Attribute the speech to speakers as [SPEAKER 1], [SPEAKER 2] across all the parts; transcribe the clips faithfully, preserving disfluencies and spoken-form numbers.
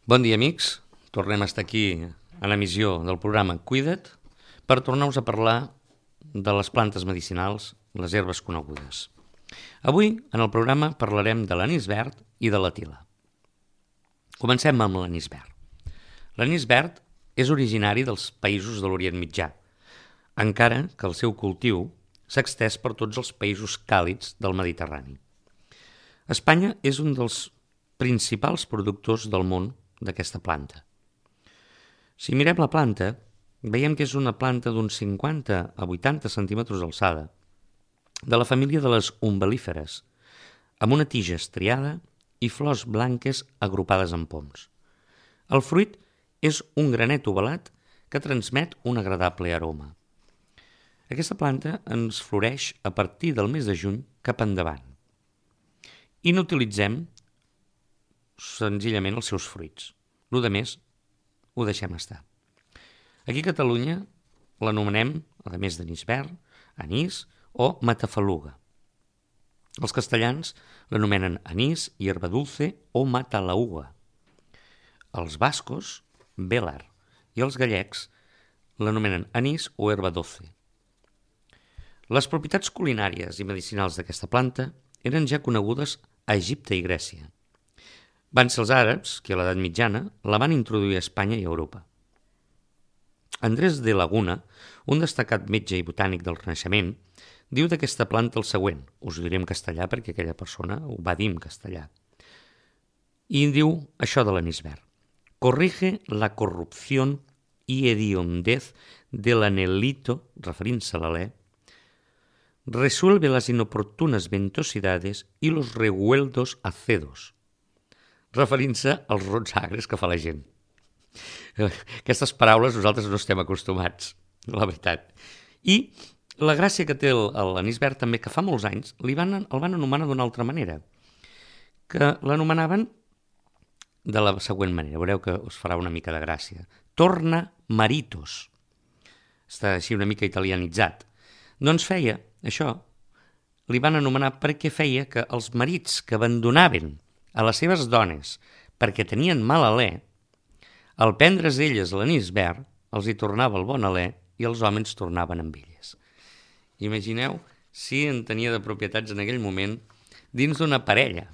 [SPEAKER 1] Bon dia, amics. Tornem a estar aquí a l'emissió del programa Cuida't per tornar-vos a parlar de les plantes medicinals, les herbes conegudes. Avui, en el programa, parlarem de l'anís verd i de la tila. Comencem amb l'anís verd. L'anís verd és originari dels països de l'Orient Mitjà, encara que el seu cultiu s'ha estès per tots els països càlids del Mediterrani. Espanya és un dels principals productors del món d'aquesta planta. Si mirem la planta, veiem que és una planta d'uns cinquanta a vuitanta centímetres d'alçada, de la família de les umbel·líferes, amb una tija estriada i flors blanques agrupades en poms. El fruit és un granet ovalat que transmet un agradable aroma. Aquesta planta ens floreix a partir del mes de juny cap endavant i n'utilitzem senzillament els seus fruits. Lo de més ho deixem estar. Aquí a Catalunya l'anomenem, a més d'anís verd, anís o matafaluga. Els castellans l'anomenen anís, hierba dulce o matalaúga. Els bascos, bélar, i els gallecs l'anomenen anís o herba doce. Les propietats culinàries i medicinals d'aquesta planta eren ja conegudes a Egipte i Grècia. Van ser els àrabs que a l'edat mitjana la van introduir a Espanya i a Europa. Andrés de Laguna, un destacat metge i botànic del Renaixement, diu d'aquesta planta el següent, us ho diré en castellà perquè aquella persona ho va dir en castellà, i diu això de l'anís verd. Corrige la corrupción y hediondez del anelito, referint-se a l'alè, resuelve las inoportunas ventosidades y los revueltos acedos, referint-se als rots agres que fa la gent. Aquestes paraules nosaltres no estem acostumats, la veritat. I la gràcia que té l'anís verd també, que fa molts anys li van, el van anomenar d'una altra manera, que l'anomenaven de la següent manera, veureu que us farà una mica de gràcia. Torna maritos. Està així una mica italianitzat. Doncs feia això, li van anomenar perquè feia que els marits que abandonaven a les seves dones perquè tenien mal alè, al prendre's elles l'anís verd, els hi tornava el bon alè i els homes tornaven amb elles. Imagineu si en tenia de propietats en aquell moment dins d'una parella,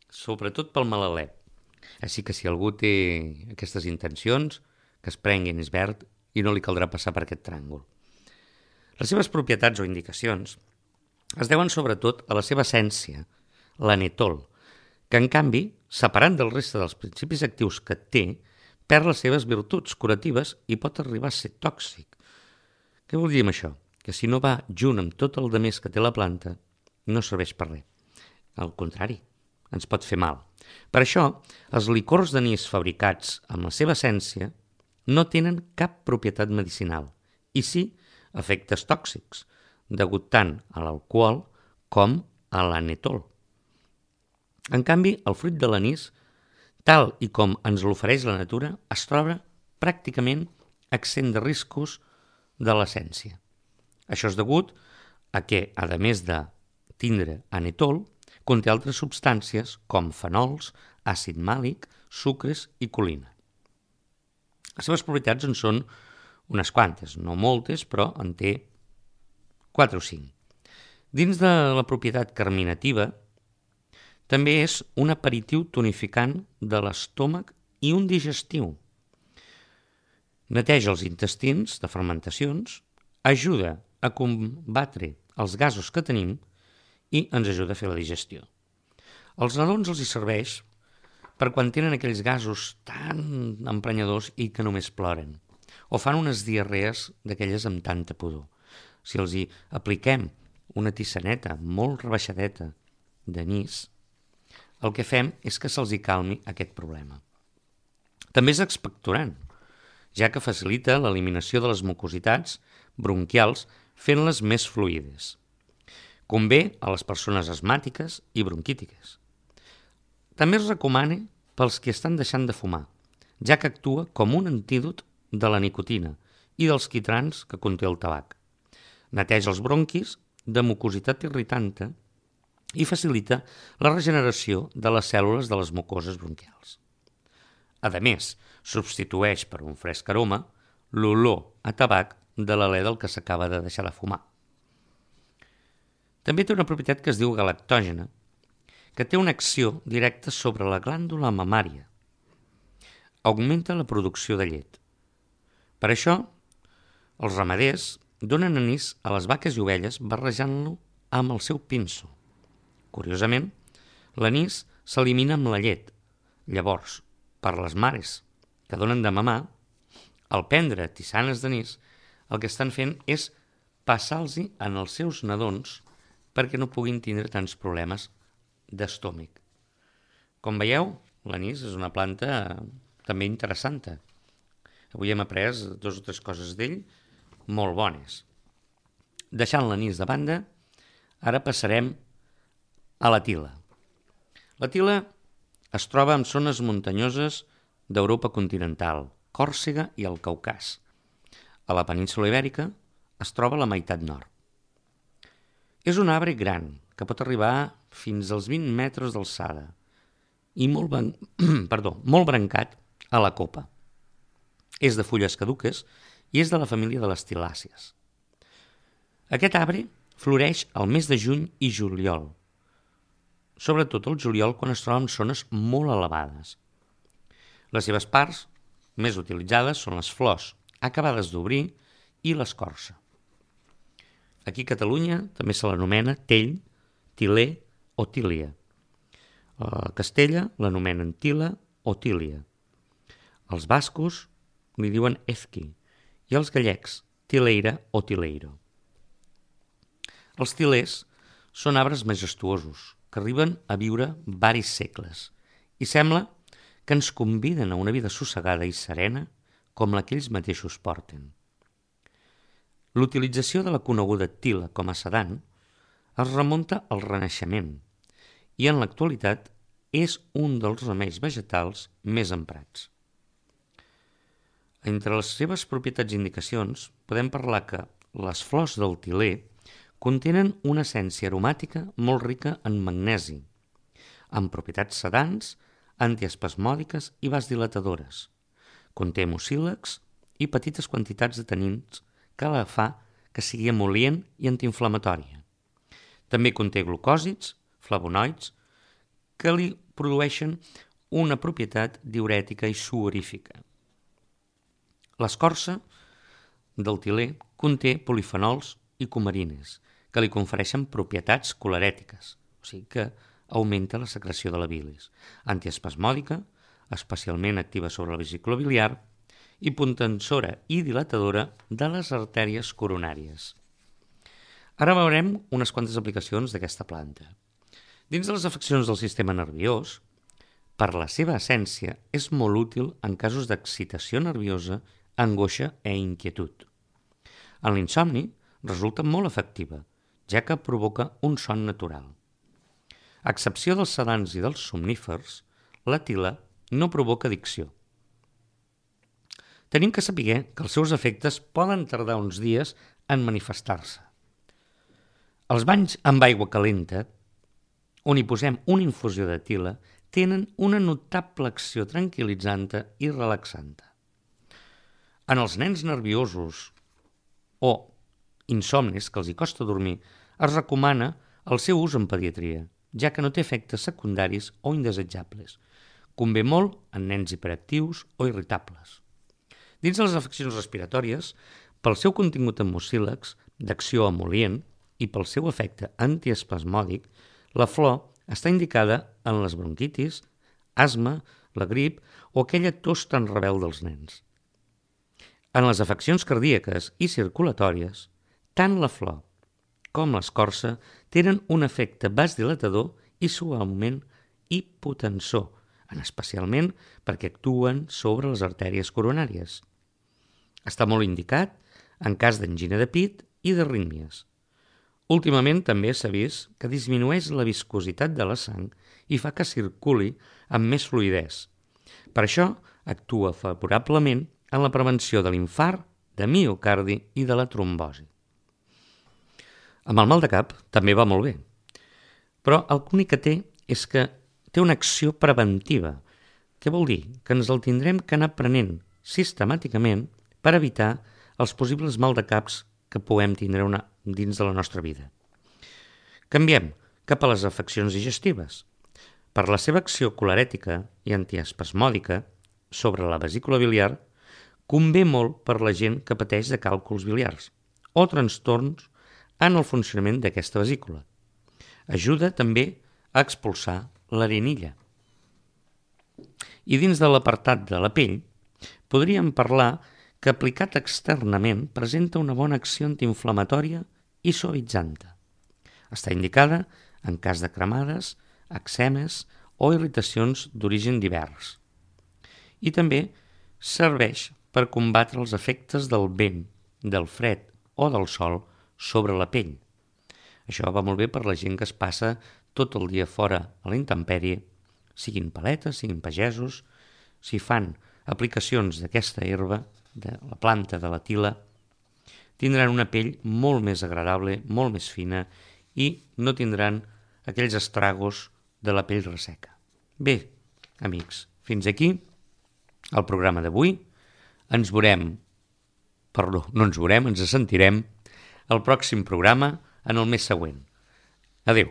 [SPEAKER 1] sobretot pel mal alè. Així que si algú té aquestes intencions, que es prengui anís verd i no li caldrà passar per aquest tràngol. Les seves propietats o indicacions es deuen sobretot a la seva essència, l'anetol, que en canvi, separant del reste dels principis actius que té, perd les seves virtuts curatives i pot arribar a ser tòxic. Què vol dir amb això? Que si no va junt amb tot el de més que té la planta, no serveix per res. Al contrari, ens pot fer mal. Per això, els licors d'anís fabricats amb la seva essència no tenen cap propietat medicinal i sí efectes tòxics, degut tant a l'alcohol com a l'anetol. En canvi, el fruit de l'anís, tal i com ens l'ofereix la natura, es troba pràcticament exempt de riscos de l'essència. Això és degut a que, a més de tindre anetol, conté altres substàncies com fenols, àcid màlic, sucres i colina. Les seves propietats en són unes quantes, no moltes, però en té quatre o cinc. Dins de la propietat carminativa, també és un aperitiu tonificant de l'estómac i un digestiu. Neteja els intestins de fermentacions, ajuda a combatre els gasos que tenim i ens ajuda a fer la digestió. Als nadons els hi serveix per quan tenen aquells gasos tan emprenyadors i que només ploren, o fan unes diarrees d'aquelles amb tanta pudor. Si els hi apliquem una tissaneta molt rebaixadeta d'anís, el que fem és que se'ls hi calmi aquest problema. També és expectorant, ja que facilita l'eliminació de les mucositats bronquials fent-les més fluides. Convé a les persones asmàtiques i bronquítiques. També es recomana pels que estan deixant de fumar, ja que actua com un antídot de la nicotina i dels quitrans que conté el tabac. Neteja els bronquis de mucositat irritanta i facilita la regeneració de les cèl·lules de les mucoses bronquials. A més, substitueix per un fresc aroma l'olor a tabac de l'alè del que s'acaba de deixar de fumar. També té una propietat que es diu galactògena, que té una acció directa sobre la glàndula mamària. Augmenta la producció de llet. Per això, els ramaders donen anís a les vaques i ovelles barrejant-lo amb el seu pinso. Curiosament, l'anís s'elimina amb la llet. Llavors, per les mares que donen de mamar, al prendre tisanes d'anís, el que estan fent és passar-los en els seus nadons perquè no puguin tindre tants problemes d'estómac. Com veieu, l'anís és una planta també interessant. Avui hem après dues o tres coses d'ell molt bones. Deixant l'anís de banda, ara passarem a la tila. La tila es troba en zones muntanyoses d'Europa continental, Còrsega i el Caucas. A la península Ibèrica es troba a la meitat nord. És un arbre gran, que pot arribar fins als vint metres d'alçada i molt, ban... Perdó, molt brancat a la copa. És de fulles caduques i és de la família de les tilàcies. Aquest arbre floreix al mes de juny i juliol, sobretot el juliol quan es troba en zones molt elevades. Les seves parts més utilitzades són les flors, acabades d'obrir, i l'escorça. Aquí a Catalunya també se l'anomena tell, tiler o tília. A Castella l'anomenen tila o tília. Els bascos li diuen ezqui i els gallecs tileira o tileiro. Els tilers són arbres majestuosos que arriben a viure varis segles i sembla que ens conviden a una vida sossegada i serena com la que ells mateixos porten. L'utilització de la coneguda tila com a sedant es remunta al Renaixement i en l'actualitat és un dels remeis vegetals més emprats. Entre les seves propietats i indicacions podem parlar que les flors del tiler contenen una essència aromàtica molt rica en magnesi, amb propietats sedants, antiespasmòdiques i vasdilatadores. Conté mucílags i petites quantitats de tanins que la fa que sigui emol·lient i antiinflamatòria. També conté glucòsids, flavonoids, que li produeixen una propietat diürètica i suorífica. L'escorça del tiler conté polifenols i cumarines, que li confereixen propietats colerètiques, o sigui que augmenta la secreció de la bilis, antiespasmòdica, especialment activa sobre la vesícula biliar, i potensora i dilatadora de les artèries coronàries. Ara veurem unes quantes aplicacions d'aquesta planta. Dins de les afeccions del sistema nerviós, per la seva essència és molt útil en casos d'excitació nerviosa, angoixa i inquietud. En l'insomni resulta molt efectiva, ja que provoca un son natural. A excepció dels sedants i dels somnífers, la tila no provoca addicció. Tenim que saber que els seus efectes poden tardar uns dies en manifestar-se. Els banys amb aigua calenta, on hi posem una infusió de tila, tenen una notable acció tranquil·litzant i relaxant. En els nens nerviosos o insomnis que els hi costa dormir, es recomana el seu ús en pediatria, ja que no té efectes secundaris o indesitjables. Convé molt en nens hiperactius o irritables. Dins de les afeccions respiratòries, pel seu contingut en mucílags, d'acció emol·lient i pel seu efecte antiespasmòdic, la flor està indicada en les bronquitis, asma, la grip o aquella tos tan rebel dels nens. En les afeccions cardíaques i circulatòries, tant la flor com l'escorça tenen un efecte vasdilatador i suaument hipotensor, en especialment perquè actuen sobre les artèries coronàries. Està molt indicat en cas d'angina de pit i d'arrítmies. Últimament també s'ha vist que disminueix la viscositat de la sang i fa que circuli amb més fluïdesa. Per això actua favorablement en la prevenció de l'infart, de miocardi i de la trombosi. Amb el mal de cap també va molt bé, però el únic que té és que té una acció preventiva, Què vol dir? Que ens el tindrem que anar prenent sistemàticament per evitar els possibles maldecaps que puguem tindre una, dins de la nostra vida. Canviem cap a les afeccions digestives. Per la seva acció colerètica i antiespasmòdica sobre la vesícula biliar, convé molt per la gent que pateix de càlculs biliars o trastorns en el funcionament d'aquesta vesícula. Ajuda també a expulsar l'arenilla. I dins de l'apartat de la pell, podríem parlar que aplicat externament presenta una bona acció antiinflamatòria i suavitzanta. Està indicada en cas de cremades, eczemes o irritacions d'origen divers. I també serveix per combatre els efectes del vent, del fred o del sol sobre la pell. Això va molt bé per la gent que es passa tot el dia fora a la intempèrie, siguin paletes, siguin pagesos. Si fan aplicacions d'aquesta herba, de la planta de la tila, tindran una pell molt més agradable, molt més fina i no tindran aquells estragos de la pell resseca. Bé, amics, fins aquí el programa d'avui. Ens veurem, perdó, no ens veurem, ens sentirem al pròxim programa en el mes següent. Adéu.